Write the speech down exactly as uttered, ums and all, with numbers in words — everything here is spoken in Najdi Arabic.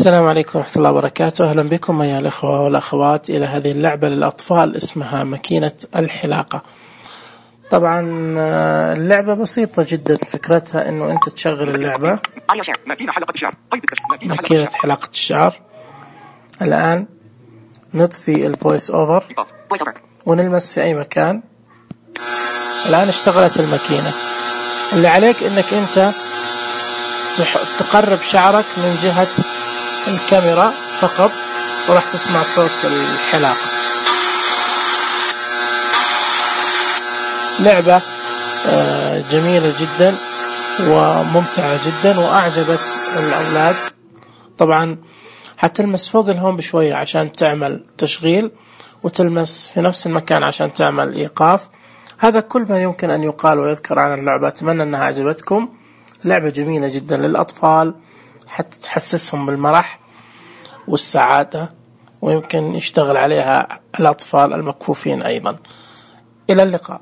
السلام عليكم ورحمة الله وبركاته. أهلا بكم أيها الأخوة والأخوات إلى هذه اللعبة للأطفال اسمها ماكينة الحلاقة. طبعا اللعبة بسيطة جدا، فكرتها أنه أنت تشغل اللعبة ماكينة حلاقة الشعر. الآن نطفي الفويس أوفر ونلمس في أي مكان. الآن اشتغلت الماكينة. اللي عليك أنك أنت تقرب شعرك من جهة الكاميرا فقط، وراح تسمع صوت الحلاقة. لعبة جميلة جدا وممتعة جدا وأعجبت الأولاد. طبعا هتلمس فوق الهوم بشوية عشان تعمل تشغيل، وتلمس في نفس المكان عشان تعمل إيقاف. هذا كل ما يمكن أن يقال ويذكر عن اللعبة. أتمنى أنها عجبتكم. لعبة جميلة جدا للأطفال حتى تحسسهم بالمرح والسعادة، ويمكن يشتغل عليها الأطفال المكفوفين أيضا. إلى اللقاء.